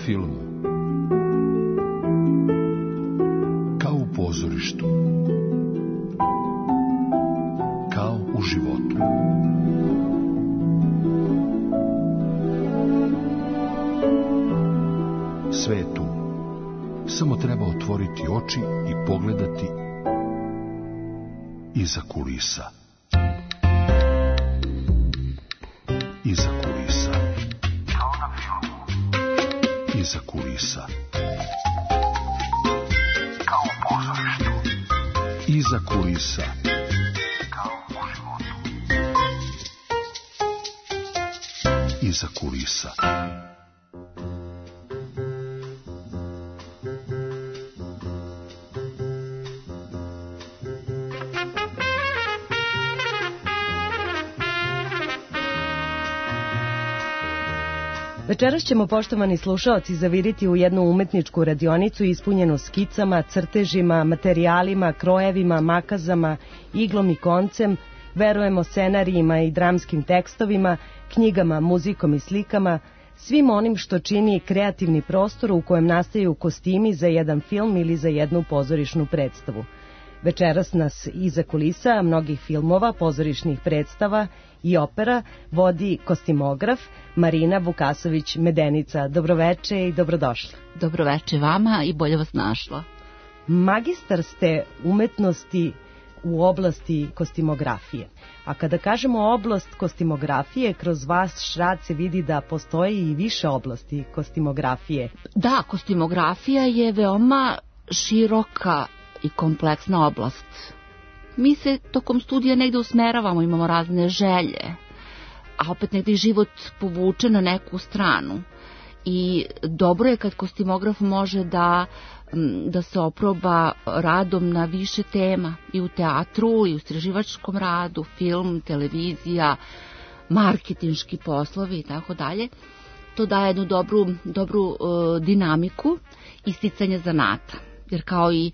filmu, kao u pozorištu, kao u životu. Sve je tu. Samo treba otvoriti oči i pogledati iza kulisa. Iza kulisa. Kao na filmu. Iza kulisa. Kao u pozorištu. Iza kulisa. Kao u životu. Iza kulisa. Večeras ćemo, poštovani slušaoci, zaviriti u jednu umetničku radionicu ispunjenu skicama, crtežima, materijalima, krojevima, makazama, iglom i koncem, verujemo scenarijima i dramskim tekstovima, knjigama, muzikom i slikama, svim onim što čini kreativni prostor u kojem nastaju kostimi za jedan film ili za jednu pozorišnu predstavu. Večeras nas iza kulisa mnogih filmova, pozorišnih predstava i opera vodi kostimograf Marina Vukasović-Medenica. Dobroveče i dobrodošla. Dobroveče vama i bolje vas našla. Magistar ste umetnosti u oblasti kostimografije. A kada kažemo oblast kostimografije, kroz vaš rad se vidi da postoji i više oblasti kostimografije. Da, kostimografija je veoma široka i kompleksna oblast. Mi se tokom studija negde usmeravamo, imamo razne želje, a opet negde život povuče na neku stranu. I dobro je kad kostimograf može da se oproba radom na više tema, i u teatru, i u istraživačkom radu, film, televizija, marketinški poslovi i tako dalje. To daje jednu dobru dinamiku isticanja zanata, jer kao i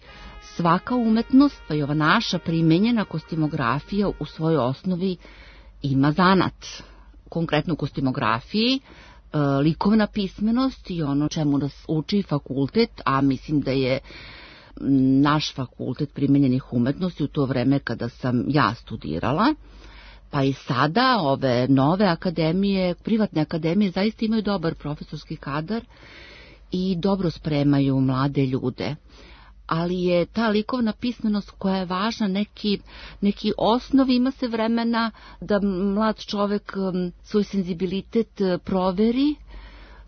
svaka umetnost, pa i ova naša primenjena kostimografija u svojoj osnovi ima zanat. Konkretno u kostimografiji likovna pismenost i ono čemu nas uči fakultet, a mislim da je naš fakultet primenjenih umetnosti u to vreme kada sam ja studirala, pa i sada ove nove akademije, privatne akademije zaista imaju dobar profesorski kadar i dobro spremaju mlade ljude. Ali je ta likovna pismenost koja je važna, neki osnov, ima se vremena da mlad čovek svoj senzibilitet proveri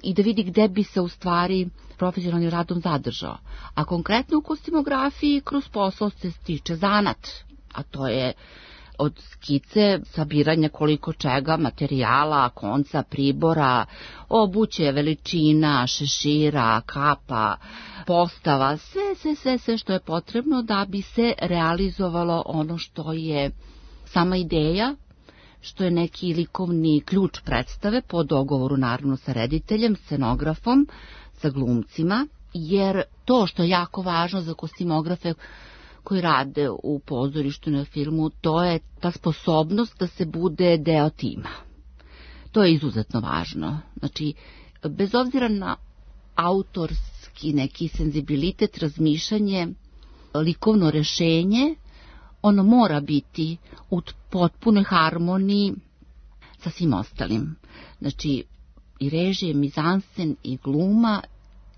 i da vidi gde bi se u stvari profesionalnim radom zadržao. A konkretno u kostimografiji kroz posao se stiče zanat, a to je od skice, sabiranja koliko čega, materijala, konca, pribora, obuće, veličina, šešira, kapa, postava, sve što je potrebno da bi se realizovalo ono što je sama ideja, što je neki likovni ključ predstave po dogovoru naravno sa rediteljem, scenografom, sa glumcima, jer to što je jako važno za kostimografe koji rade u pozorištu na filmu, to je ta sposobnost da se bude deo tima. To je izuzetno važno. Znači, bez obzira na autorski neki senzibilitet, razmišljanje, likovno rešenje, ono mora biti u potpunoj harmoniji sa svim ostalim. Znači, i režije, mizansen, i gluma,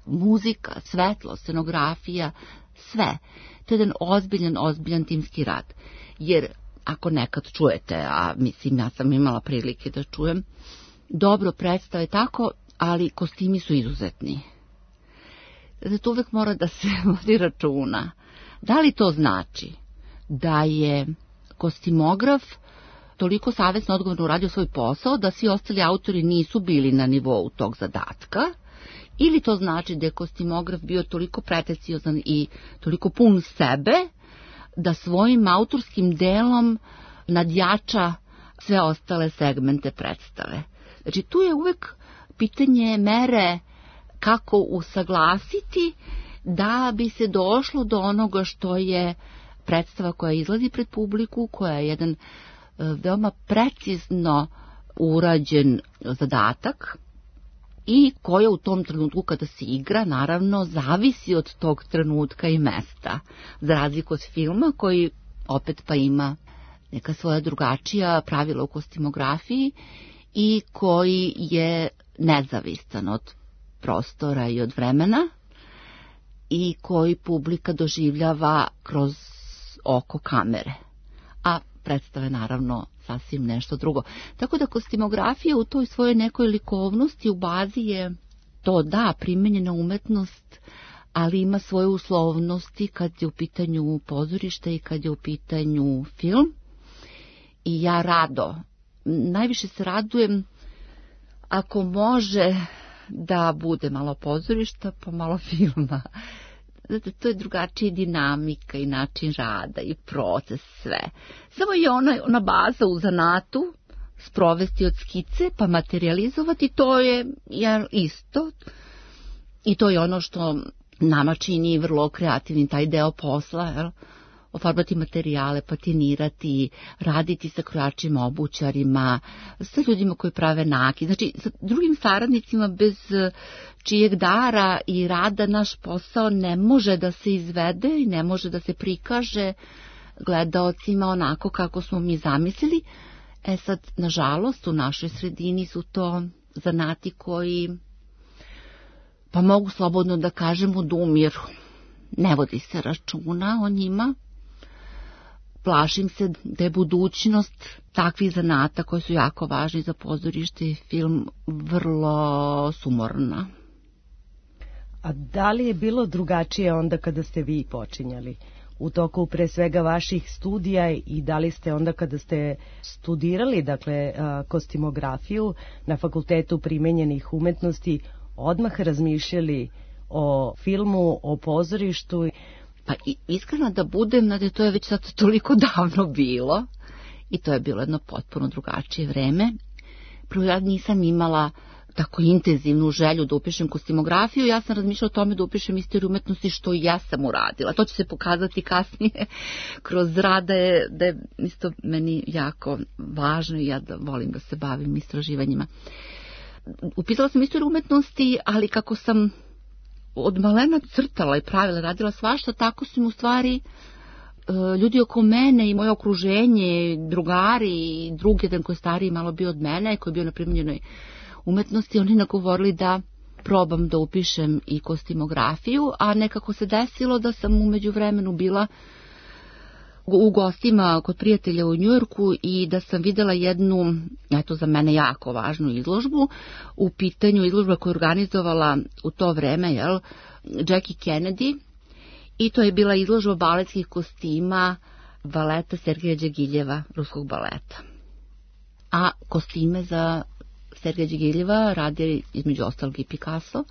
muzika, svetlo, scenografija, sve. To je jedan ozbiljan timski rad. Jer ako nekad čujete, a mislim ja sam imala prilike da čujem, dobro predstave tako, ali kostimi su izuzetni. Zato uvek mora da se vodi računa. Da li to znači da je kostimograf toliko savesno odgovorno uradio svoj posao da svi ostali autori nisu bili na nivou tog zadatka, ili to znači da je kostimograf bio toliko pretenciozan i toliko pun sebe da svojim autorskim delom nadjača sve ostale segmente predstave. Znači tu je uvek pitanje mere kako usaglasiti da bi se došlo do onoga što je predstava koja izlazi pred publiku, koja je jedan veoma precizno urađen zadatak i koja u tom trenutku kada se igra, naravno, zavisi od tog trenutka i mesta. Za razliku od filma koji opet pa ima neka svoja drugačija pravila u kostimografiji i koji je nezavistan od prostora i od vremena i koji publika doživljava kroz oko kamere. A predstave naravno sasvim nešto drugo. Tako da kostimografija u toj svojoj nekoj likovnosti u bazi je to da, primenjena umetnost, ali ima svoje uslovnosti kad je u pitanju pozorište i kad je u pitanju film. I ja rado, najviše se radujem ako može da bude malo pozorišta pa malo filma. Zato to je drugačija dinamika i način rada i proces, sve. Samo je ona baza u zanatu, sprovesti od skice pa materializovati, to je isto. I to je ono što nama čini vrlo kreativni taj deo posla, jel? Ofarbati materijale, patinirati, raditi sa krojačima, obućarima, sa ljudima koji prave nakit. Znači, sa drugim saradnicima bez čijeg dara i rada naš posao ne može da se izvede i ne može da se prikaže gledaocima onako kako smo mi zamislili. Sad, nažalost, u našoj sredini su to zanati koji, pa mogu slobodno da kažem, odumiru. Ne vodi se računa o njima. Plašim se da je budućnost takvih zanata koji su jako važni za pozorište i film vrlo sumorna. A da li je bilo drugačije onda kada ste vi počinjali? U toku pre svega vaših studija i da li ste onda kada ste studirali, dakle, kostimografiju na Fakultetu primenjenih umetnosti, odmah razmišljali o filmu, o pozorištu? Pa iskreno da budem, to je već sad toliko davno bilo i to je bilo jedno potpuno drugačije vreme. Prvo, ja nisam imala tako intenzivnu želju da upišem kostimografiju, ja sam razmišljala o tome da upišem istoriju umetnosti, što i ja sam uradila. To će se pokazati kasnije kroz rad, da je isto meni jako važno i ja da volim da se bavim istraživanjima. Upisala sam istoriju umetnosti, ali kako sam od malena crtala i pravila, radila svašta, tako su mi u stvari ljudi oko mene i moje okruženje, drugari i drugi, jedan koji je stariji malo bio od mene, koji je bio na primenjenoj umetnosti, oni nagovorili da probam da upišem i kostimografiju, a nekako se desilo da sam u međuvremenu bila u gostima kod prijatelja u Njujorku i da sam videla jednu, eto za mene jako važnu izložbu, u pitanju izložba koju je organizovala u to vreme, Jackie Kennedy, i to je bila izložba baletskih kostima baleta Sergeja Đegiljeva, ruskog baleta. A kostime za Sergeja Đegiljeva radi između ostalog i Picasso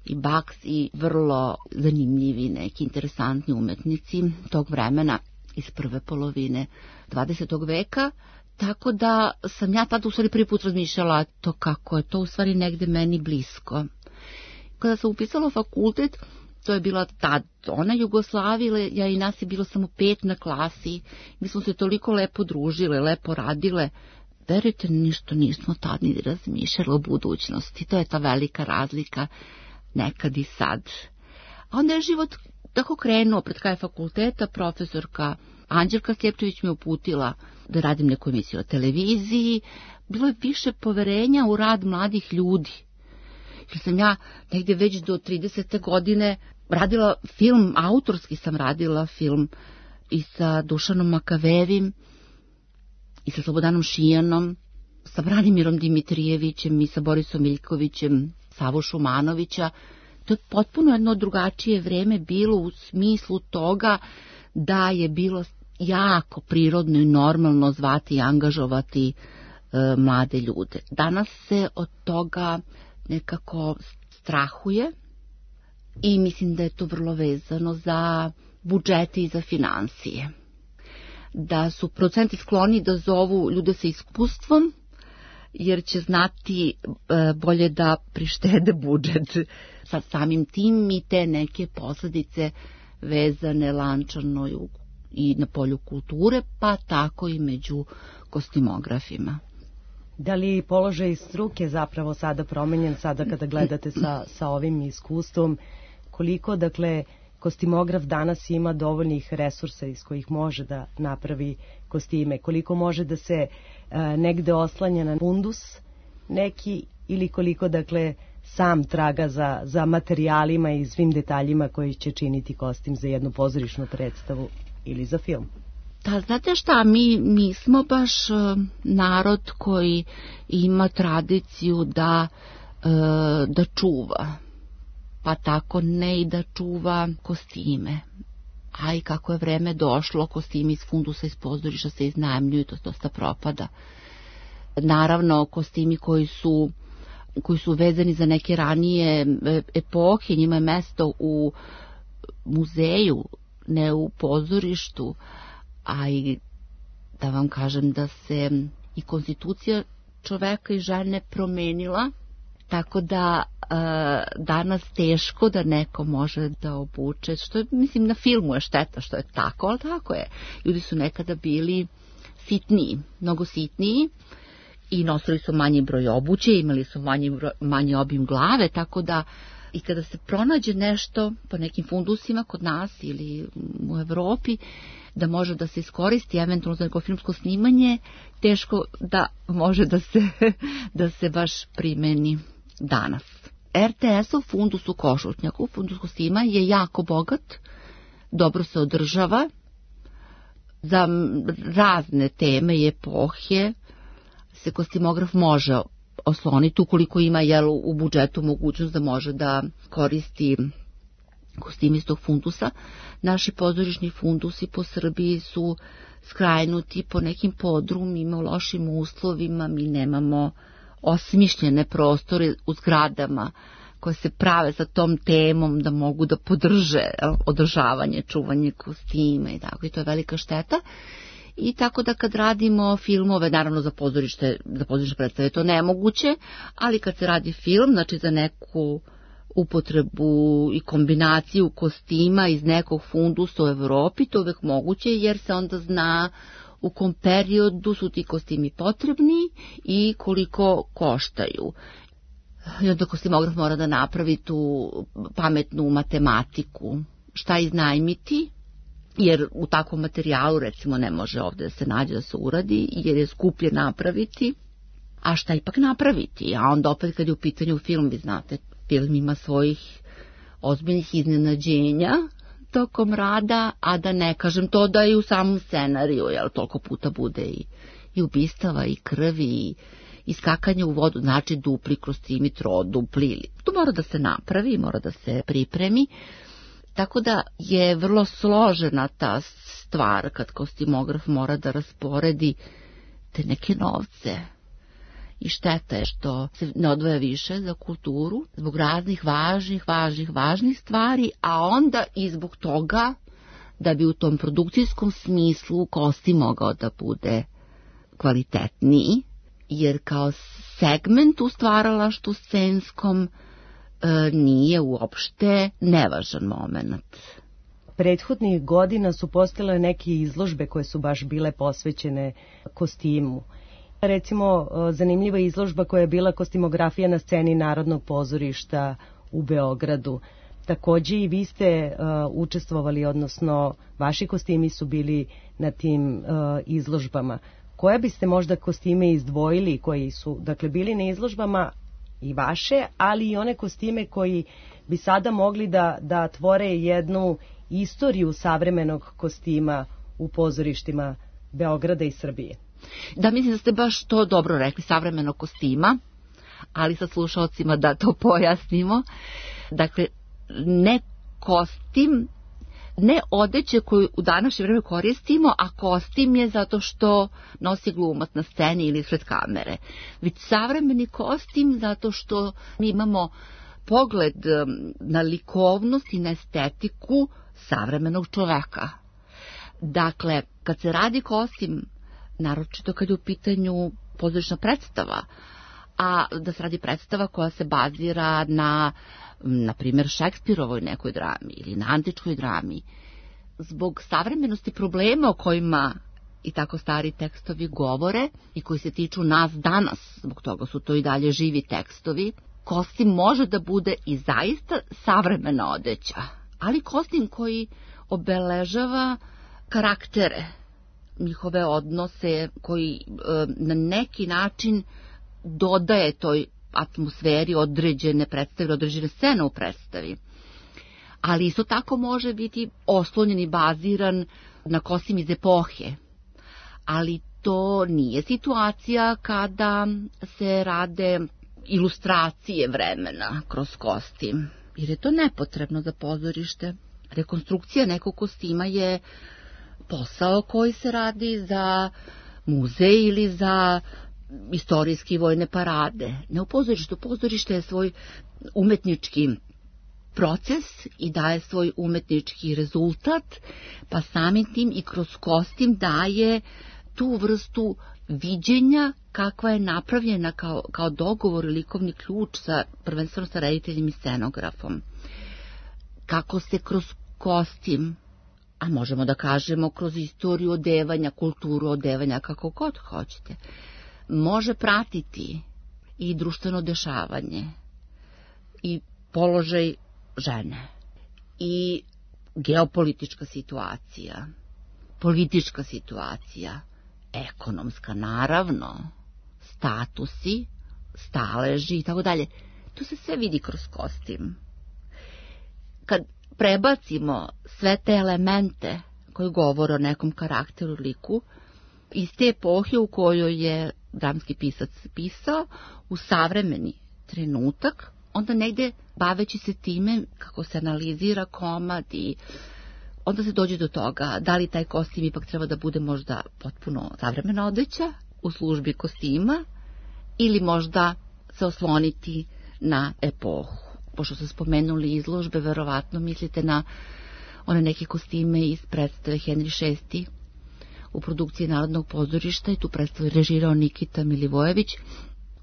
i Baks i vrlo zanimljivi neki interesantni umetnici tog vremena iz prve polovine 20. veka, tako da sam ja tada u stvari prvi put razmišljala to kako je to u stvari negde meni blisko. Kada sam upisala fakultet, to je bila tad ona Jugoslavija, ja i nas je bilo samo 5 na klasi, mi smo se toliko lepo družile, lepo radile, verujte, ništa nismo tad ni razmišljali o budućnosti, to je ta velika razlika nekad i sad. A onda je život tako krenuo, pred kraj fakulteta profesorka Anđelka Stjepčević me uputila da radim neku emisiju na televiziji, bilo je više poverenja u rad mladih ljudi. Jer sam ja negdje već do 30. godine radila film, autorski sam radila film i sa Dušanom Makavevim, i sa Slobodanom Šijanom, sa Branimirom Dimitrijevićem i sa Borisom Miljkovićem, Savu Šumanovića. To je potpuno jedno drugačije vreme bilo u smislu toga da je bilo jako prirodno i normalno zvati i angažovati mlade ljude. Danas se od toga nekako strahuje i mislim da je to vrlo vezano za budžete i za financije. Da su producenti skloni da zovu ljude sa iskustvom, jer će znati bolje da prištede budžet. Sa samim tim i te neke posljedice vezane lančano i na polju kulture, pa tako i među kostimografima. Da li položaj struke zapravo sada promenjen, sada kada gledate sa ovim iskustvom, koliko, dakle, kostimograf danas ima dovoljnih resursa iz kojih može da napravi kostime, koliko može da se negde oslanja na fundus neki ili koliko, dakle, sam traga za materijalima i svim detaljima koji će činiti kostim za jednu pozorišnu predstavu ili za film? Da, znate šta, mi smo baš narod koji ima tradiciju da čuva, pa tako ne i da čuva kostime. A i kako je vreme došlo, kostimi iz fundusa iz pozorišta se iznajmljuju, to dosta propada. Naravno, kostimi koji su vezani za neke ranije epohe, njima je mesto u muzeju, ne u pozorištu, a i da vam kažem da se i konstitucija čoveka i žene promenila, tako da danas teško da neko može da obuče, što je, mislim, na filmu je šteta što je tako, ali tako je. Ljudi su nekada bili sitniji, mnogo sitniji i nosili su manji broj obuće, imali su manji obim glave, tako da i kada se pronađe nešto po nekim fundusima kod nas ili u Evropi, da može da se iskoristi eventualno za neko filmsko snimanje, teško da može da se baš primeni danas. RTS-ov fundus u Košutnjaku, fundus kostima, je jako bogat, dobro se održava, za razne teme i epohe se kostimograf može osloniti ukoliko ima u budžetu mogućnost da može da koristi kostime iz tog fundusa. Naši pozorišni fundusi po Srbiji su skrajnuti po nekim podrumima, u lošim uslovima, mi nemamo osmišljene prostore u zgradama koje se prave sa tom temom da mogu da podrže održavanje, čuvanje kostima i tako, i to je velika šteta. I tako da kad radimo filmove, naravno za pozorišne predstave to nemoguće, ali kad se radi film, znači za neku upotrebu i kombinaciju kostima iz nekog fundusa u Evropi, to uvek moguće jer se onda zna u kom periodu su ti kostimi potrebni i koliko koštaju. I onda kostimograf mora da napravi tu pametnu matematiku, šta iznajmiti, jer u takvom materijalu recimo ne može ovde da se nađe da se uradi, jer je skuplje napraviti, a šta ipak napraviti. A onda opet kad je u pitanju film, vi znate, film ima svojih ozbiljnih iznenađenja tokom rada, a da ne kažem to da i u samom scenariju, jer toliko puta bude i ubistava i krvi i skakanje u vodu, znači dupli kostimi, trodupli. To mora da se napravi, mora da se pripremi. Tako da je vrlo složena ta stvar kad kostimograf mora da rasporedi te neke novce. I šteta je što se ne odvaja više za kulturu zbog raznih važnih stvari, a onda i zbog toga da bi u tom produkcijskom smislu kostim mogao da bude kvalitetniji, jer kao segment u stvaralaštvu scenskom nije uopšte nevažan moment. Prethodnih godina su postojale neke izložbe koje su baš bile posvećene kostimu. Recimo, zanimljiva izložba koja je bila kostimografija na sceni Narodnog pozorišta u Beogradu. Takođe i vi ste učestvovali, odnosno vaši kostimi su bili na tim izložbama. Koje biste možda kostime izdvojili koji su, dakle, bili na izložbama i vaše, ali i one kostime koji bi sada mogli da tvore jednu istoriju savremenog kostima u pozorištima Beograda i Srbije? Da, mislim da ste baš to dobro rekli, savremenog kostima, ali sa slušalcima da to pojasnimo. Dakle, ne kostim, ne odeće koju u današnje vreme koristimo, a kostim je zato što nosi glumac na sceni ili ispred kamere. Već savremeni kostim zato što mi imamo pogled na likovnost i na estetiku savremenog čoveka. Dakle, kad se radi kostim, naročito kad je u pitanju pozorišna predstava, a da se radi predstava koja se bazira na primjer, Šekspirovoj nekoj drami ili na antičkoj drami, zbog savremenosti problema o kojima i tako stari tekstovi govore i koji se tiču nas danas, zbog toga su to i dalje živi tekstovi, kostim može da bude i zaista savremena odeća, ali kostim koji obeležava karaktere, njihove odnose, koji na neki način dodaje toj atmosferi određene predstave, određene scene u predstavi. Ali isto tako može biti oslonjen i baziran na kostim iz epohe. Ali to nije situacija kada se rade ilustracije vremena kroz kostim, jer je to nepotrebno za pozorište. Rekonstrukcija nekog kostima je posao koji se radi za muzej ili za istorijske i vojne parade. Ne u pozorištu. Pozorište je svoj umetnički proces i daje svoj umetnički rezultat, pa samim tim i kroz kostim daje tu vrstu viđenja kakva je napravljena kao dogovor i likovni ključ prvenstveno sa rediteljem i scenografom. Kako se kroz kostim, a možemo da kažemo kroz istoriju odevanja, kulturu odevanja, kako god hoćete, može pratiti i društveno dešavanje i položaj žene i geopolitička situacija, politička situacija, ekonomska naravno, statusi, staleži i tako dalje. To se sve vidi kroz kostim. Kad prebacimo sve te elemente koji govore o nekom karakteru, liku, iz te epohe u kojoj je dramski pisac pisao, u savremeni trenutak, onda negde baveći se time kako se analizira komad i onda se dođe do toga da li taj kostim ipak treba da bude možda potpuno savremena odeća u službi kostima ili možda se osloniti na epohu. Pošto ste spomenuli izložbe, verovatno mislite na one neke kostime iz predstave Henry VI u produkciji Narodnog pozorišta i tu predstavu režirao Nikita Milivojević,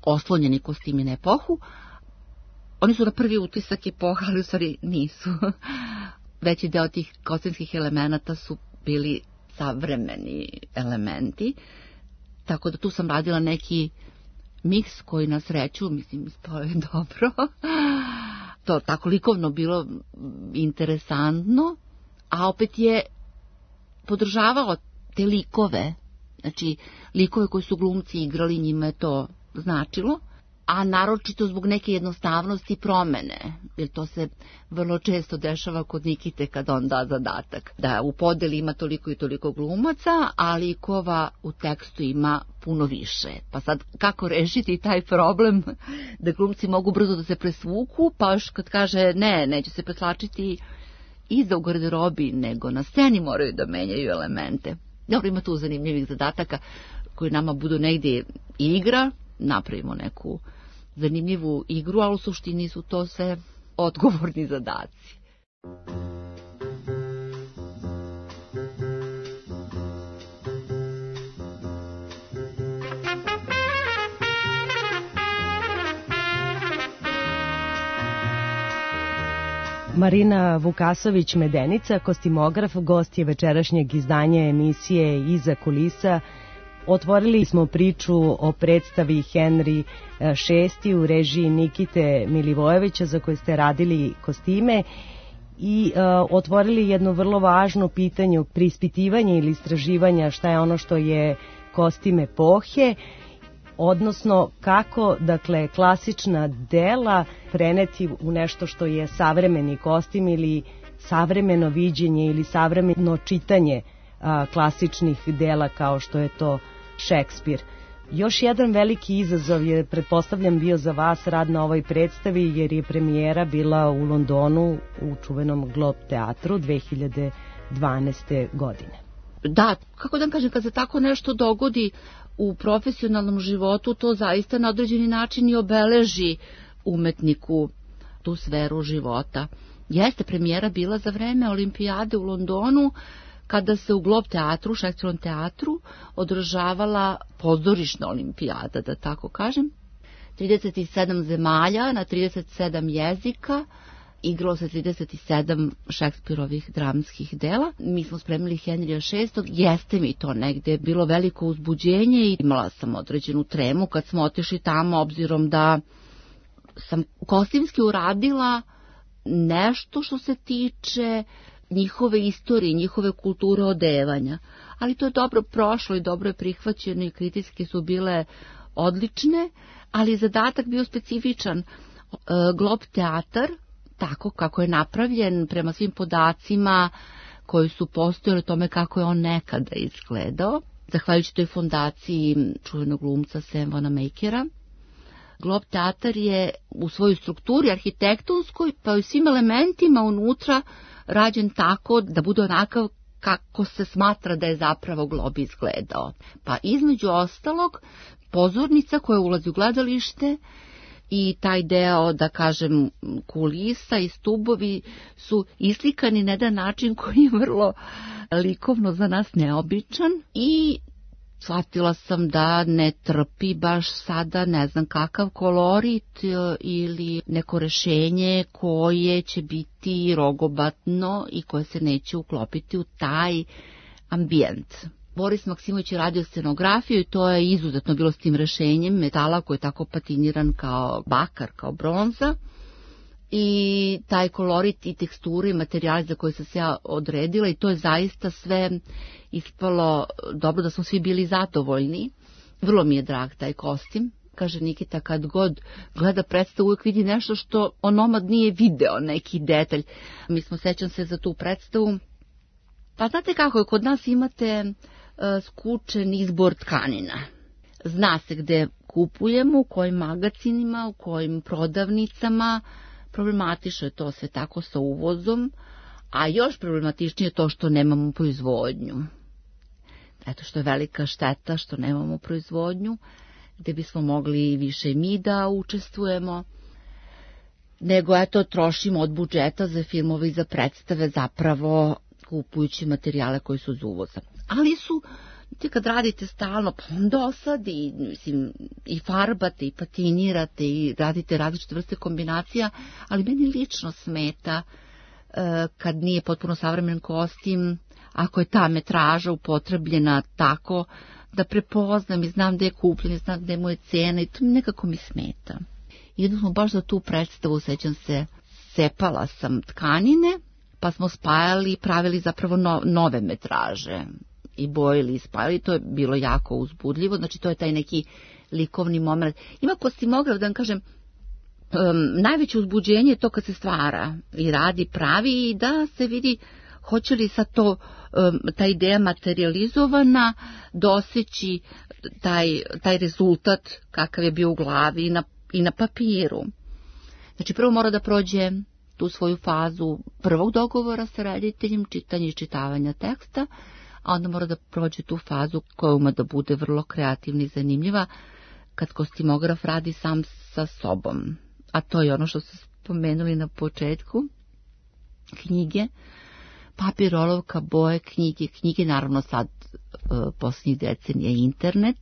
oslonjeni kostimi na epohu. Oni su na prvi utisak epoha, ali u stvari nisu. Veći deo tih kostimskih elemenata su bili savremeni elementi, tako da tu sam radila neki miks koji na sreću, mislim, ispao je dobro. To tako likovno bilo interesantno, a opet je podržavao te likove, znači likove koji su glumci igrali, njima je to značilo, a naročito zbog neke jednostavnosti i promene, jer to se vrlo često dešava kod Nikite kad on da zadatak, da u podeli ima toliko i toliko glumaca, a likova u tekstu ima puno više. Pa sad kako rešiti taj problem da glumci mogu brzo da se presvuku, pa još kad kaže neće se preslačiti iza u garderobi, nego na sceni moraju da menjaju elemente. Dobro, ima tu zanimljivih zadataka koji nama budu negdje igra, napravimo neku zanimljivu igru, ali u suštini su to sve odgovorni zadaci. Marina Vukasović-Medenica, kostimograf, gost je večerašnjeg izdanja emisije Iza kulisa. Otvorili smo priču o predstavi Henry VI u režiji Nikite Milivojevića za koje ste radili kostime i otvorili jedno vrlo važno pitanje, preispitivanje ili istraživanja šta je ono što je kostim epohe, odnosno kako, dakle, klasična dela preneti u nešto što je savremeni kostim ili savremeno viđenje ili savremeno čitanje klasičnih dela kao što je to Šekspir. Još jedan veliki izazov je, pretpostavljam, bio za vas rad na ovoj predstavi, jer je premijera bila u Londonu u čuvenom Globe teatru 2012. godine. Da, kako da kažem, kad se tako nešto dogodi u profesionalnom životu, to zaista na određeni način i obeleži umetniku tu sferu života. Jeste premijera bila za vreme olimpijade u Londonu, kada se u Globe teatru, Šekspirovom teatru, održavala pozorišna olimpijada, da tako kažem. 37 zemalja na 37 jezika igralo se 37 Šekspirovih dramskih dela. Mi smo spremili Henrija VI. Jeste mi to negde bilo veliko uzbuđenje i imala sam određenu tremu kad smo otišli tamo, obzirom da sam kostimski uradila nešto što se tiče njihove istorije, njihove kulture odevanja. Ali to je dobro prošlo i dobro je prihvaćeno i kritike su bile odlične, ali zadatak bio specifičan. Glob teatar, tako kako je napravljen prema svim podacima koji su postojali o tome kako je on nekada izgledao, zahvaljujući toj fondaciji čuvenog glumca Sam Wanamaker'a. Glob teatar je u svojoj strukturi arhitektonskoj pa i svim elementima unutra rađen tako da bude onakav kako se smatra da je zapravo glob izgledao. Pa između ostalog pozornica koja ulazi u gledalište i taj deo, da kažem, kulisa i stubovi su islikani na jedan način koji je vrlo likovno za nas neobičan i shvatila sam da ne trpi baš sada ne znam kakav kolorit ili neko rešenje koje će biti rogobatno i koje se neće uklopiti u taj ambijent. Boris Maksimović je radio scenografiju i to je izuzetno bilo s tim rešenjem metala koji je tako patiniran kao bakar, kao bronza. I taj kolorit i teksturi i materijali za koje sam se ja odredila i to je zaista sve ispalo dobro da smo svi bili zadovoljni. Vrlo mi je drag taj kostim. Kaže Nikita, kad god gleda predstavu uvijek vidi nešto što onomad nije video, neki detalj. Mi smo, sećam se za tu predstavu. Pa znate kako je, kod nas imate skučen izbor tkanina. Zna se gde kupujemo, u kojim magacinima, u kojim prodavnicama. Problematično je to sve tako sa uvozom, a još problematičnije je to što nemamo proizvodnju. Eto što je velika šteta što nemamo proizvodnju, gde bismo mogli više mi da učestvujemo, nego eto trošimo od budžeta za filmove i za predstave zapravo kupujući materijale koji su iz uvoza. Ali su, kad radite stalno, pa vam dosadi, mislim, i farbate, i patinirate, i radite različite vrste kombinacija, ali meni lično smeta kad nije potpuno savremen kostim, ako je ta metraža upotrebljena tako da prepoznam i znam gde je kupljen, i znam gde mu je cena i to nekako mi smeta. I jedno smo baš za tu predstavu, sećam se, cepala sam tkanine, pa smo spajali i pravili zapravo nove metraže. I bojili i spajali, to je bilo jako uzbudljivo, znači to je taj neki likovni moment. Ima kostimograf, da vam kažem, najveće uzbuđenje je to kad se stvara i radi, pravi i da se vidi hoće li sad to, ta ideja materializovana doseći taj rezultat kakav je bio u glavi i na papiru. Znači prvo mora da prođe tu svoju fazu prvog dogovora sa rediteljem, čitanja i čitavanja teksta, a onda mora da prođe tu fazu koja uma da bude vrlo kreativna i zanimljiva kad kostimograf radi sam sa sobom. A to je ono što ste spomenuli na početku. Knjige, papir, olovka, boje, knjige naravno sad posljednjih decenija internet,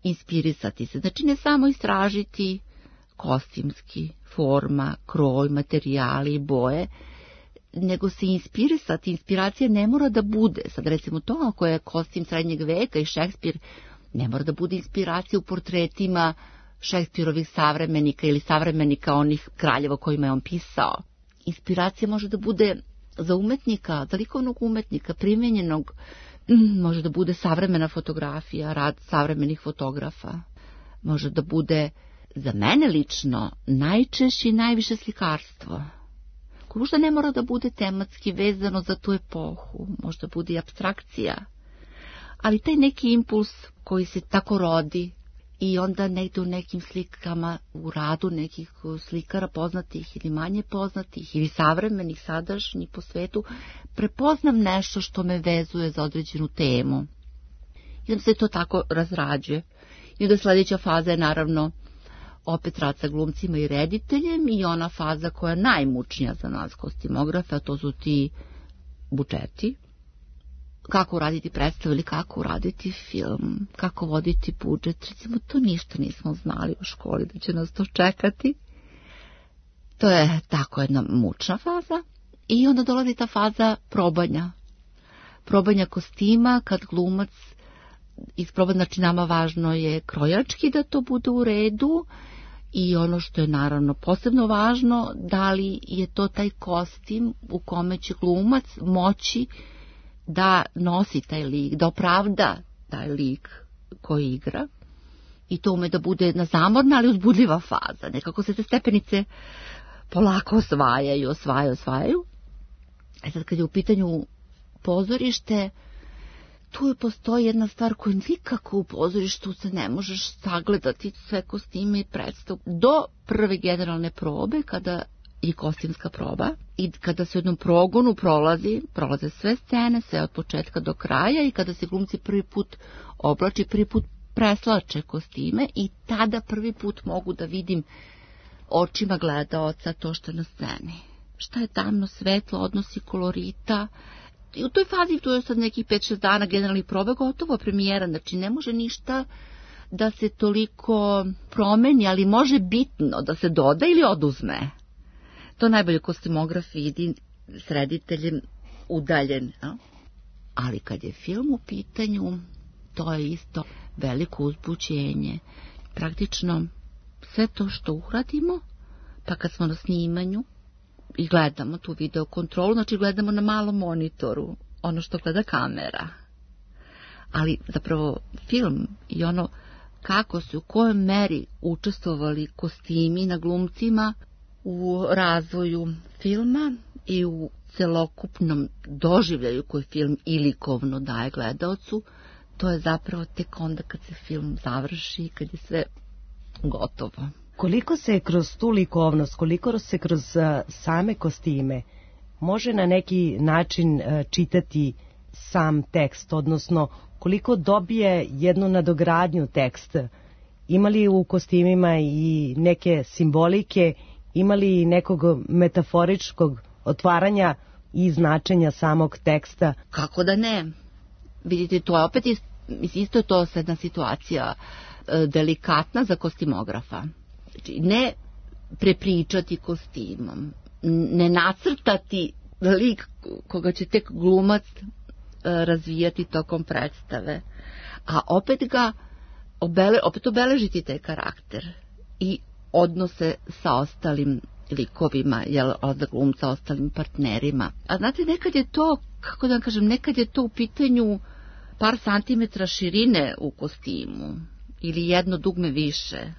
inspirisati se. Znači ne samo istražiti kostimski, forma, kroj, materijali, boje, nego se inspirisati. Inspiracija ne mora da bude, sad recimo to ako je kostim srednjeg veka i Šekspir, ne mora da bude inspiracija u portretima Šekspirovih savremenika ili savremenika onih kraljeva kojima je on pisao. Inspiracija može da bude za umetnika, za likovnog umetnika, primenjenog, može da bude savremena fotografija, rad savremenih fotografa, može da bude za mene lično najčešće i najviše slikarstvo. Možda ne mora da bude tematski vezano za tu epohu, možda bude i apstrakcija, ali taj neki impuls koji se tako rodi i onda negde u nekim slikama, u radu nekih slikara poznatih ili manje poznatih ili savremenih, sadašnjih po svetu, prepoznam nešto što me vezuje za određenu temu. I onda se to tako razrađuje. I onda sljedeća faza je naravno opet rad sa glumcima i rediteljem i ona faza koja je najmučnija za nas kostimografe, a to su ti budžeti. Kako uraditi predstavu ili kako uraditi film, kako voditi budžet, recimo to ništa nismo znali u školi da će nas to čekati. To je tako jedna mučna faza i onda dolazi ta faza probanja kostima kad glumac isproba, znači nama važno je krojački da to bude u redu i ono što je naravno posebno važno, da li je to taj kostim u kome će glumac moći da nosi taj lik, da opravda taj lik koji igra i to ume da bude jedna zamorna ali uzbudljiva faza, nekako se te stepenice polako osvajaju. Sad kad je u pitanju pozorište, tu postoji jedna stvar koju nikako u pozorištu se ne možeš sagledati, sve kostime i predstav. Do prve generalne probe, kada je kostimska proba i kada se u jednom progonu prolaze sve scene, sve od početka do kraja i kada se glumci prvi put oblači, prvi put preslače kostime i tada prvi put mogu da vidim očima gledaoca to što je na sceni. Šta je tamno, svetlo, odnosi kolorita. I u toj fazi, tu je sad nekih 5-6 dana generalnih proba, gotovo premijera, znači ne može ništa da se toliko promeni, ali može bitno da se doda ili oduzme. To najbolje kostimograf vidi s rediteljem udaljen. No? Ali kad je film u pitanju, to je isto veliko uzbuđenje. Praktično sve to što uradimo, pa kad smo na snimanju i gledamo tu video kontrolu, znači gledamo na malom monitoru ono što gleda kamera. Ali zapravo film i ono kako su u kojoj meri učestvovali kostimi na glumcima u razvoju filma i u celokupnom doživljaju koji film i likovno daje gledaocu, to je zapravo tek onda kad se film završi, kad je sve gotovo. Koliko se kroz tu likovnost, koliko se kroz same kostime može na neki način čitati sam tekst, odnosno koliko dobije jednu nadogradnju tekst? Ima li u kostimima i neke simbolike, ima li nekog metaforičkog otvaranja i značenja samog teksta? Kako da ne? Vidite, to je opet isto to jedna situacija delikatna za kostimografa. Znači, ne prepričati kostimom, ne nacrtati lik koga će tek glumac razvijati tokom predstave, a opet obeležiti taj karakter i odnose sa ostalim likovima, od glumca, ostalim partnerima. A znate, nekad je to, kako da vam kažem, nekad je to u pitanju par santimetra širine u kostimu, ili jedno dugme više,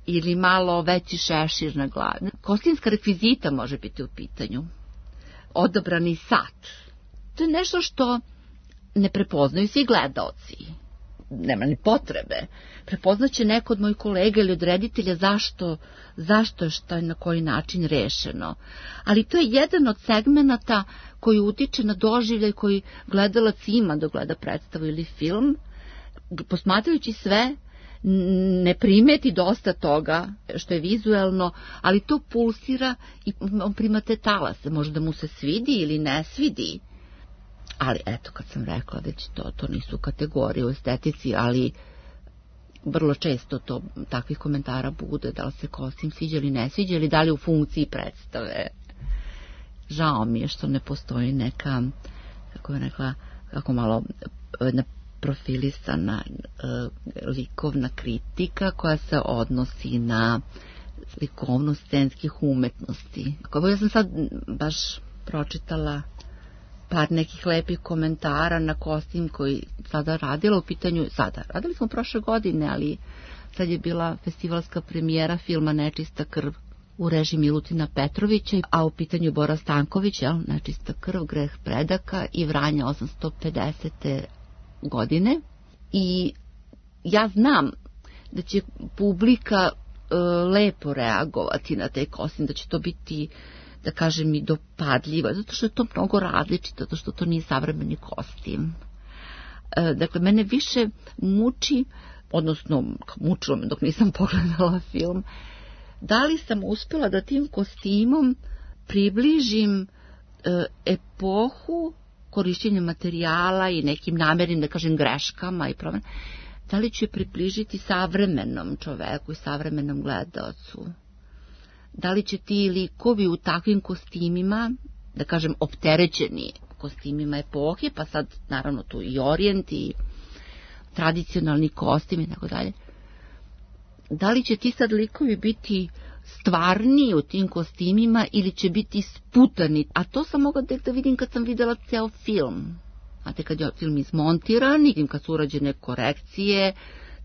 ili malo veći šešir na glavi. Kostimska rekvizita može biti u pitanju. Odabrani sat. To je nešto što ne prepoznaju svi gledaoci. Nema ni potrebe. Prepoznaće neko od mojih kolega ili od reditelja zašto je što je na koji način rešeno. Ali to je jedan od segmenata koji utiče na doživljaj koji gledalac ima da gleda predstavu ili film. Posmatrajući sve, ne primeti dosta toga što je vizuelno, ali to pulsira i on prima te talase. Možda mu se svidi ili ne svidi. Ali eto, kad sam rekla već to nisu kategorije u estetici, ali vrlo često to takvih komentara bude, da li se kostim sviđa ili ne sviđa, ili da li u funkciji predstave. Žao mi je što ne postoji neka, kako bih rekla, kako malo profilisana likovna kritika koja se odnosi na likovnost scenskih umetnosti. Ja sam sad baš pročitala par nekih lepih komentara na kostim koji sada radila u pitanju, radili smo prošle godine, ali sad je bila festivalska premijera filma Nečista krv u režiji Milutina Petrovića, a u pitanju Bora Stanković, Nečista krv, greh predaka i Vranja 850. godine. I ja znam da će publika lepo reagovati na taj kostim, da će to biti, da kažem, i dopadljivo, zato što je to mnogo različito, zato što to nije savremeni kostim. Dakle, mene više muči, odnosno mučilo me dok nisam pogledala film, da li sam uspjela da tim kostimom približim epohu korišćenja materijala i nekim namernim, da kažem, greškama i promjenama, da li ću je približiti savremenom čoveku i savremenom gledaocu. da li će ti likovi u takvim kostimima, da kažem opterećeni kostimima epohe, pa sad naravno tu i orijent i tradicionalni kostim i tako dalje, da li će ti sad likovi biti stvarni u tim kostimima ili će biti sputani. A to sam mogla tek da vidim kad sam videla ceo film. Znate, kad je film izmontiran i kad su urađene korekcije,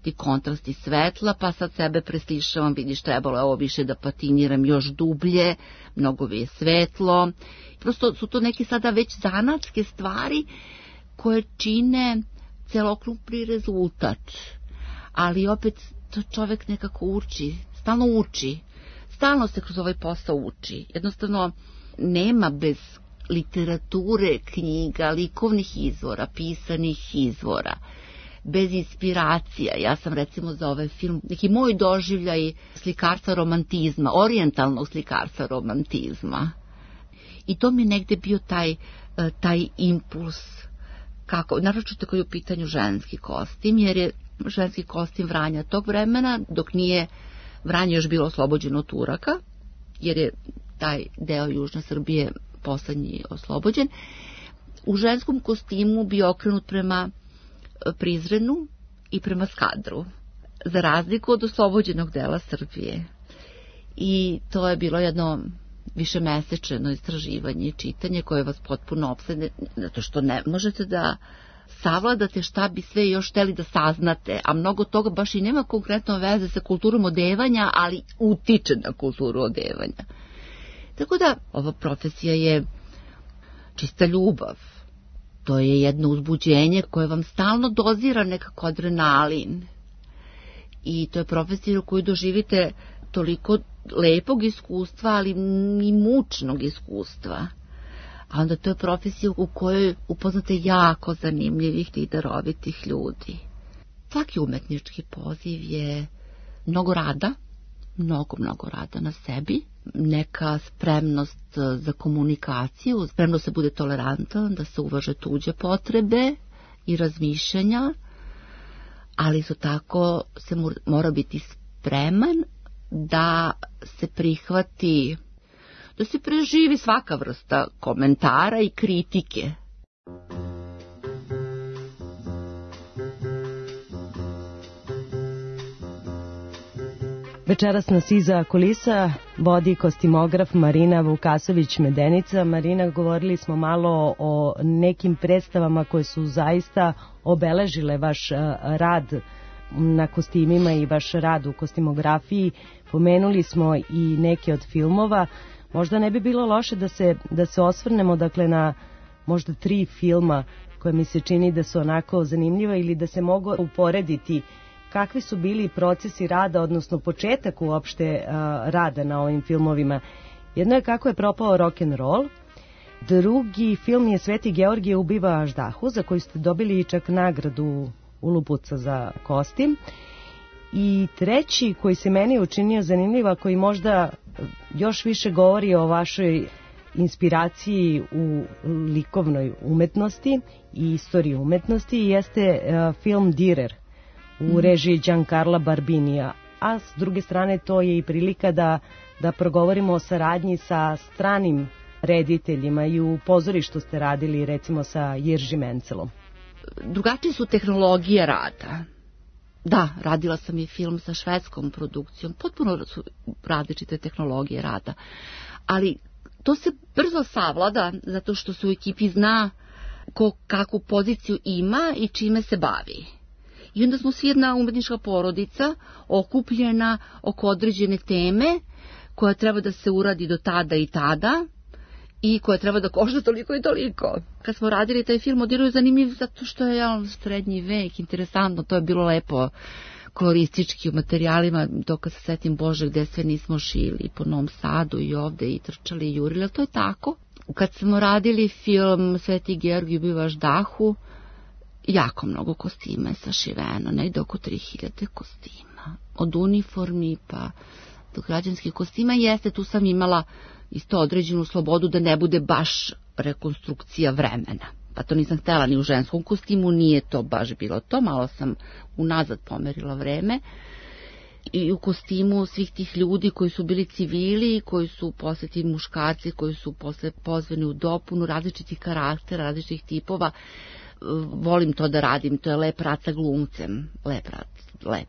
ti kontrasti svetla, pa sad sebe preslišavam, vidiš, trebalo je ovo više da patiniram još dublje, mnogo je svetlo. Prosto su to neke sada već zanatske stvari koje čine celokupni rezultat. Ali opet to čovek nekako uči, stalno se kroz ovaj posao uči. Jednostavno nema bez literature, knjiga, likovnih izvora, pisanih izvora, bez inspiracija. Ja sam recimo za ovaj film neki moj doživljaj slikarstva romantizma, orijentalnog slikarstva romantizma. I to mi je negde bio taj impuls, kako, naročito kad je u pitanju ženski kostim, jer je ženski kostim Vranja tog vremena, dok nije Vranje još bilo oslobođeno od Turaka, jer je taj deo Južne Srbije poslednji oslobođen, u ženskom kostimu bio okrenut prema Prizrenu i prema Skadru, za razliku od oslobođenog dela Srbije. I to je bilo jedno višemesečeno istraživanje i čitanje koje vas potpuno opsedne, zato što ne možete da savladate šta bi sve još hteli da saznate, a mnogo toga baš i nema konkretno veze sa kulturom odevanja, ali utiče na kulturu odevanja. Tako da ova profesija je čista ljubav. To je jedno uzbuđenje koje vam stalno dozira nekako adrenalin. I to je profesija u kojoj doživite toliko lepog iskustva, ali i mučnog iskustva. A onda to je profesija u kojoj upoznate jako zanimljivih i darovitih ljudi. Svaki umetnički poziv je mnogo rada, mnogo rada na sebi, neka spremnost za komunikaciju, spremnost da se bude tolerantan, da se uvaže tuđe potrebe i razmišljanja, ali isto tako se mora biti spreman da se prihvati, da se preživi svaka vrsta komentara i kritike. Večeras nas iza kulisa vodi kostimograf Marina Vukasović-Medenica. Marina, govorili smo malo o nekim predstavama koje su zaista obeležile vaš rad na kostimima i vaš rad u kostimografiji. Pomenuli smo i neke od filmova. Možda ne bi bilo loše da se osvrnemo dakle na možda 3 filma koje mi se čini da su onako zanimljiva ili da se mogu uporediti. Kakvi su bili procesi rada, odnosno početak uopšte rada na ovim filmovima? Jedno je Kako je propao rock'n'roll, drugi film je Sveti Georgije ubiva Aždahu, za koji ste dobili čak nagradu Ulubuca za kostim, i treći koji se meni učinio zanimljiva, koji možda još više govori o vašoj inspiraciji u likovnoj umetnosti i istoriji umetnosti, jeste film Direr u režiji Giancarla Barbinija, a s druge strane to je i prilika da progovorimo o saradnji sa stranim rediteljima. I u pozorištu ste radili recimo sa Jirži Mencelom. Drugačije su tehnologije rada. Da, radila sam i film sa švedskom produkcijom, potpuno su različite tehnologije rada, ali to se brzo savlada zato što se u ekipi zna ko kakvu poziciju ima i čime se bavi. I onda smo svi jedna umetnička porodica okupljena oko određene teme koja treba da se uradi do tada i tada i koja treba da košta toliko i toliko. Kad smo radili taj film, Odiru je zanimljiv zato što je srednji vek, interesantno, to je bilo lepo koloristički u materijalima, dok kad se setim, Bože, gde sve nismo šili, po Novom Sadu i ovde i trčali i jurili, ali to je tako. Kad smo radili film Sveti Georgije ubiva Aždahu, jako mnogo kostima je sašiveno, negde oko 3000 kostima. Od uniformi pa do građanskih kostima. Jeste, tu sam imala isto određenu slobodu da ne bude baš rekonstrukcija vremena. Pa to nisam htjela ni u ženskom kostimu, nije to baš bilo to, malo sam unazad pomerila vreme. i u kostimu svih tih ljudi koji su bili civili, koji su posle ti muškarci, koji su posle pozvani u dopunu različitih karaktera, različitih tipova. Volim to da radim, to je lep rad sa glumcem, lep.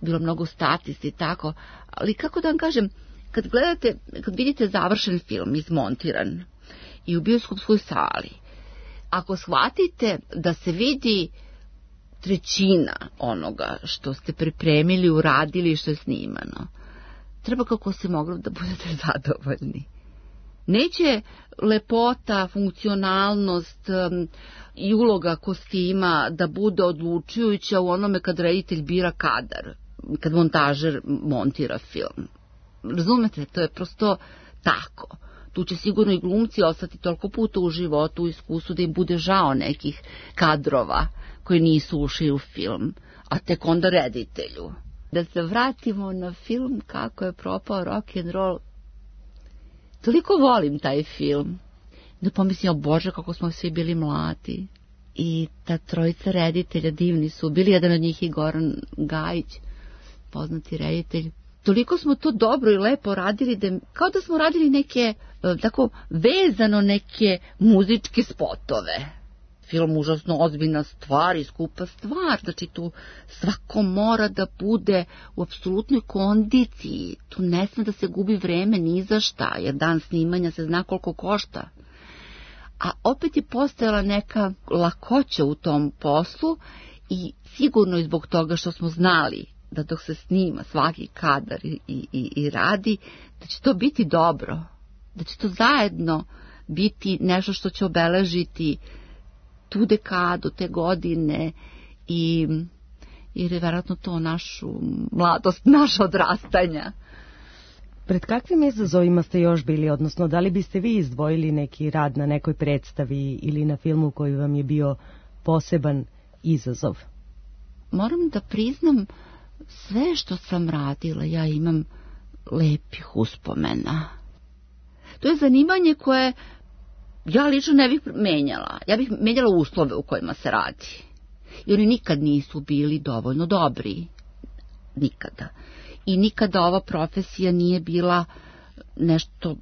Bilo mnogo statisti i tako, ali kako da vam kažem, kad vidite završen film, izmontiran i u bioskopskoj sali, ako shvatite da se vidi trećina onoga što ste pripremili, uradili i što je snimano, treba kako se moglo da budete zadovoljni. Neće lepota, funkcionalnost i uloga kostima da bude odlučujuća u onome kad reditelj bira kadar, kad montažer montira film. Razumete, to je prosto tako. Tu će sigurno i glumci ostati toliko puta u životu, u iskustvu, da im bude žao nekih kadrova koji nisu ušli u film, a tek onda reditelju. Da se vratimo na film Kako je propao rock and roll. Toliko volim taj film. Da pomislim, o Bože, kako smo svi bili mladi. I ta trojica reditelja divni su. Bili jedan od njih i Goran Gajić, poznati reditelj. Toliko smo to dobro i lepo radili, da kao da smo radili neke, tako vezano neke muzičke spotove. Film užasno ozbiljna stvar i skupa stvar, znači tu svako mora da bude u apsolutnoj kondiciji, tu ne sme da se gubi vreme ni za šta, jer dan snimanja se zna koliko košta. A opet je postojala neka lakoća u tom poslu i sigurno i zbog toga što smo znali da dok se snima svaki kadar i radi, da će to biti dobro, da će to zajedno biti nešto što će obeležiti tu dekadu, te godine i jer je vjerojatno to našu mladost, naša odrastanja. Pred kakvim izazovima ste još bili, odnosno da li biste vi izdvojili neki rad na nekoj predstavi ili na filmu koji vam je bio poseban izazov? Moram da priznam, sve što sam radila, ja imam lepih uspomena. To je zanimanje koje ja lično ne bih menjala. Ja bih menjala uslove u kojima se radi. I oni nikad nisu bili dovoljno dobri. Nikada. I nikada ova profesija nije bila nešto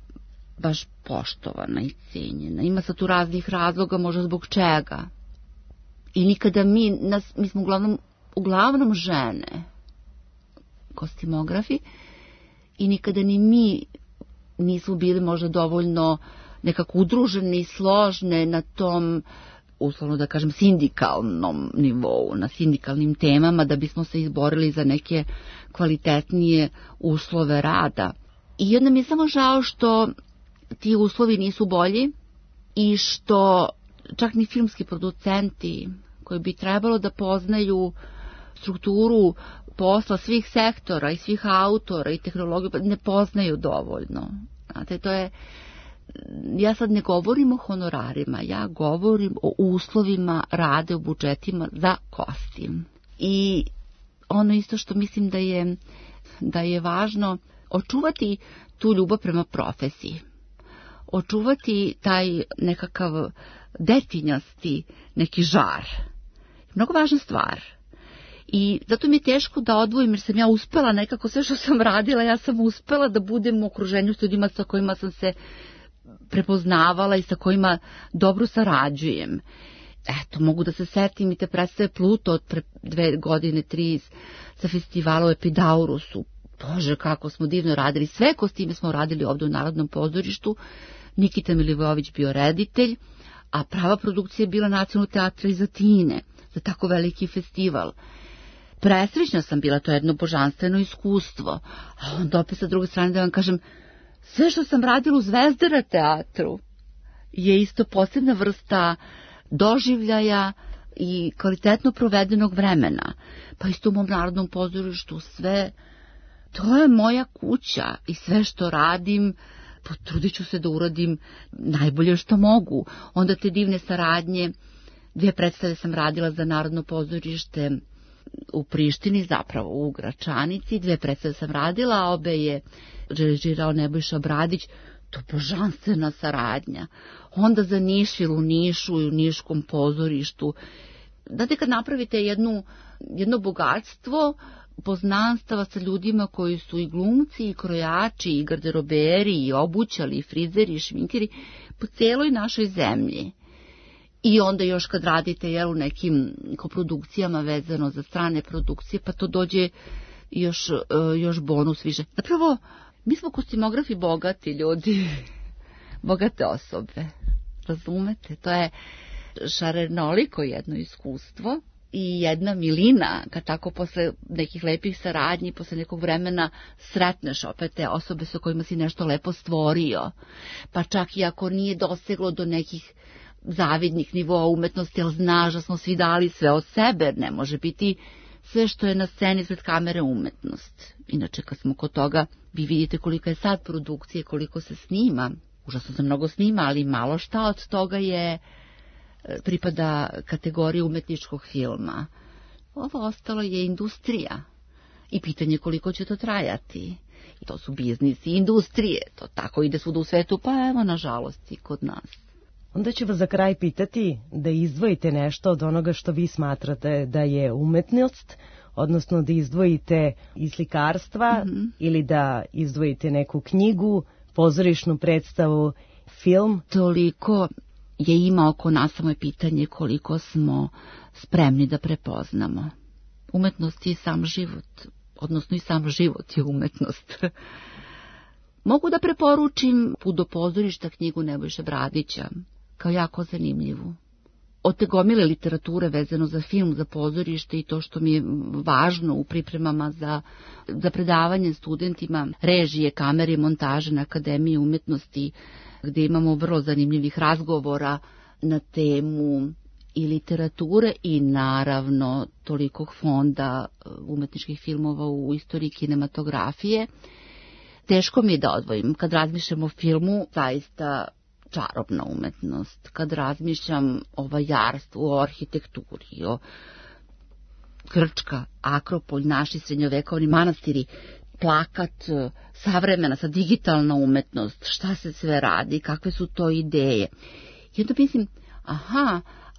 baš poštovana i cijenjena. Ima sad tu raznih razloga, možda zbog čega. I nikada mi smo uglavnom žene, kostimografi, i nikada ni mi nismo bili možda dovoljno nekako udružene i složne na tom, uslovno da kažem, sindikalnom nivou, na sindikalnim temama, da bismo se izborili za neke kvalitetnije uslove rada. I onda mi je samo žao što ti uslovi nisu bolji i što čak ni filmski producenti koji bi trebalo da poznaju strukturu posla svih sektora i svih autora i tehnologiju ne poznaju dovoljno. Znate, to je, ja sad ne govorim o honorarima, ja govorim o uslovima rade, o budžetima za kostim. I ono isto što mislim da je važno, očuvati tu ljubav prema profesiji, očuvati taj nekakav detinjasti neki žar. Mnogo važna stvar. I zato mi je teško da odvojim, jer sam ja uspela nekako sve što sam radila, ja sam uspela da budem u okruženju s ljudima sa kojima sam se prepoznavala i sa kojima dobro sarađujem. Eto, mogu da se setim i te predstave Pluto od pre 2 godine, 3 sa festivala u Epidaurusu. Bože, kako smo divno radili. Sve kostime smo radili ovdje u Narodnom pozorištu. Nikita Milivojević bio reditelj, a prava produkcija je bila Nacionalnog teatra iz Atine za tako veliki festival. Presrećna sam bila, to je jedno božanstveno iskustvo. A onda opet sa druge strane da vam kažem, sve što sam radila u Zvezdara teatru je isto posebna vrsta doživljaja i kvalitetno provedenog vremena. Pa isto u mom Narodnom pozorištu sve, to je moja kuća i sve što radim, potrudit ću se da uradim najbolje što mogu. Onda te divne saradnje, 2 predstave sam radila za Narodno pozorište u Prištini, zapravo u Gračanici, 2 predstave sam radila, a obe je režirao Nebojša Bradić, to božanstvena saradnja. Onda za Nišvil u Nišu i u Niškom pozorištu. Znate, kad napravite jedno bogatstvo poznanstava sa ljudima koji su i glumci, i krojači, i garderoberi, i obućali, i frizeri, i šminkeri po cijeloj našoj zemlji. I onda još kad radite u nekim koprodukcijama vezano za strane produkcije, pa to dođe još bonus više. Zapravo, mi smo kostimografi bogati ljudi, bogate osobe, razumete? To je šarenoliko jedno iskustvo i jedna milina, kad tako posle nekih lepih saradnji, posle nekog vremena sretneš opet te osobe sa kojima si nešto lepo stvorio, pa čak i ako nije doseglo do nekih zavidnih nivoa umetnosti, ali znaš da smo svi dali sve od sebe, ne može biti sve što je na sceni pred kamere umetnost. Inače, kad smo kod toga, vi vidite kolika je sad produkcije, koliko se snima, užasno se mnogo snima, ali malo šta od toga pripada kategoriji umetničkog filma. Ovo ostalo je industrija i pitanje koliko će to trajati. I to su biznisi i industrije, to tako ide svuda u svetu, pa evo nažalost i kod nas. Onda ću vas za kraj pitati da izdvojite nešto od onoga što vi smatrate da je umetnost, odnosno da izdvojite iz slikarstva ili da izdvojite neku knjigu, pozorišnu predstavu, film. Toliko je ima oko nas, samo je pitanje koliko smo spremni da prepoznamo. Umetnost je sam život, odnosno i sam život je umetnost. Mogu da preporučim Put do pozorišta, knjigu Nebojše Bradića, kao jako zanimljivu. Od te gomile literature vezano za film, za pozorište i to što mi je važno u pripremama za predavanje studentima režije, kamere i montaže na Akademiji umetnosti, gdje imamo vrlo zanimljivih razgovora na temu i literature i naravno tolikog fonda umetničkih filmova u istoriji kinematografije. Teško mi je da odvojim. Kad razmišljam o filmu, zaista čarobna umetnost. Kad razmišljam o vajarstvu, o arhitekturi, o Grčka, Akropolj, naši srednjovekovni manastiri, plakat, savremena, sa digitalna umetnost, šta se sve radi, kakve su to ideje. I onda mislim,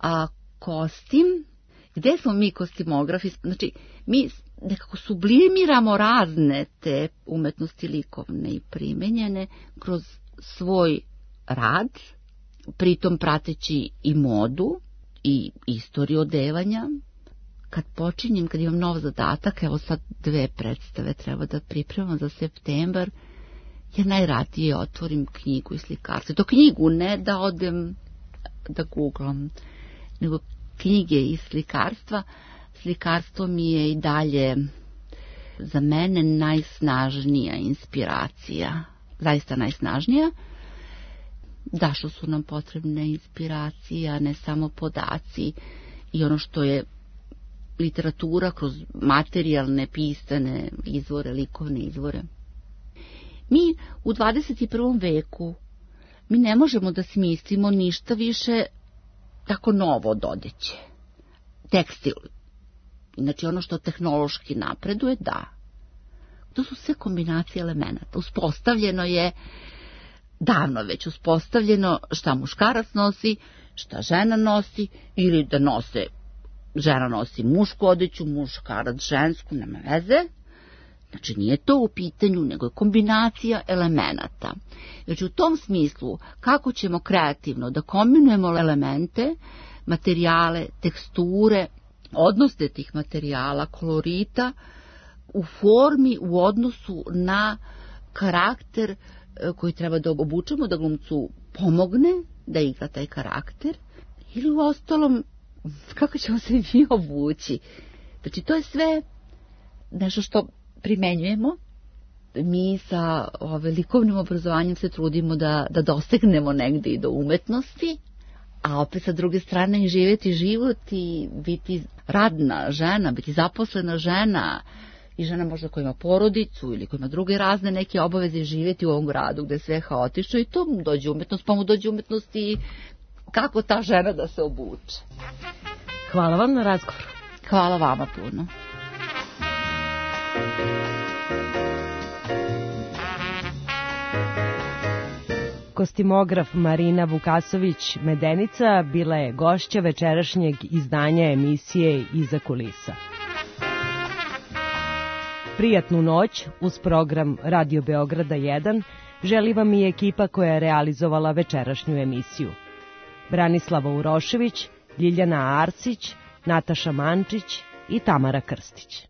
a kostim, gde smo mi kostimografi? Znači, mi nekako sublimiramo razne te umetnosti likovne i primenjene kroz svoj rad, pritom prateći i modu i istoriju odevanja. Kad počinjem, kad imam nov zadatak, evo sad 2 predstave treba da pripremam za septembar, ja najradije otvorim knjigu i slikarstvo. To knjigu, ne da odem da googlam, nego knjige i slikarstva. Slikarstvo mi je i dalje za mene najsnažnija inspiracija, zaista najsnažnija. Da, što su nam potrebne inspiracije, a ne samo podaci i ono što je literatura kroz materijalne, pisane izvore, likovne izvore. Mi u 21. veku mi ne možemo da smislimo ništa više tako novo od odeće. Tekstil, znači ono što tehnološki napreduje, da. To su sve kombinacije elemenata. Uspostavljeno je, davno već uspostavljeno šta muškarac nosi, šta žena nosi, ili da žena nosi mušku odeću, muškarac žensku, nema veze. Znači nije to u pitanju, nego je kombinacija elemenata. Znači u tom smislu, kako ćemo kreativno da kombinujemo elemente, materijale, teksture, odnose tih materijala, kolorita, u formi, u odnosu na karakter koji treba da obučemo, da glumcu pomogne da igra taj karakter, ili u ostalom, kako ćemo se mi obući. Znači, to je sve nešto što primenjujemo. Mi sa likovnim obrazovanjem se trudimo da dosegnemo negde i do umetnosti, a opet sa druge strane i živjeti život i biti radna žena, biti zaposlena žena i žena možda koja ima porodicu ili koja ima druge razne neke obaveze, živjeti u ovom gradu gde je sve haotično i to mu dođe umetnost, pa mu dođe umetnost i kako ta žena da se obuče. Hvala vam na razgovoru. Hvala vama puno. Kostimograf Marina Vukasović-Medenica bila je gošća večerašnjeg izdanja emisije Iza kulisa. Prijatnu noć uz program Radio Beograda 1 želi vam i ekipa koja je realizovala večerašnju emisiju. Branislava Urošević, Ljiljana Arsić, Nataša Mančić i Tamara Krstić.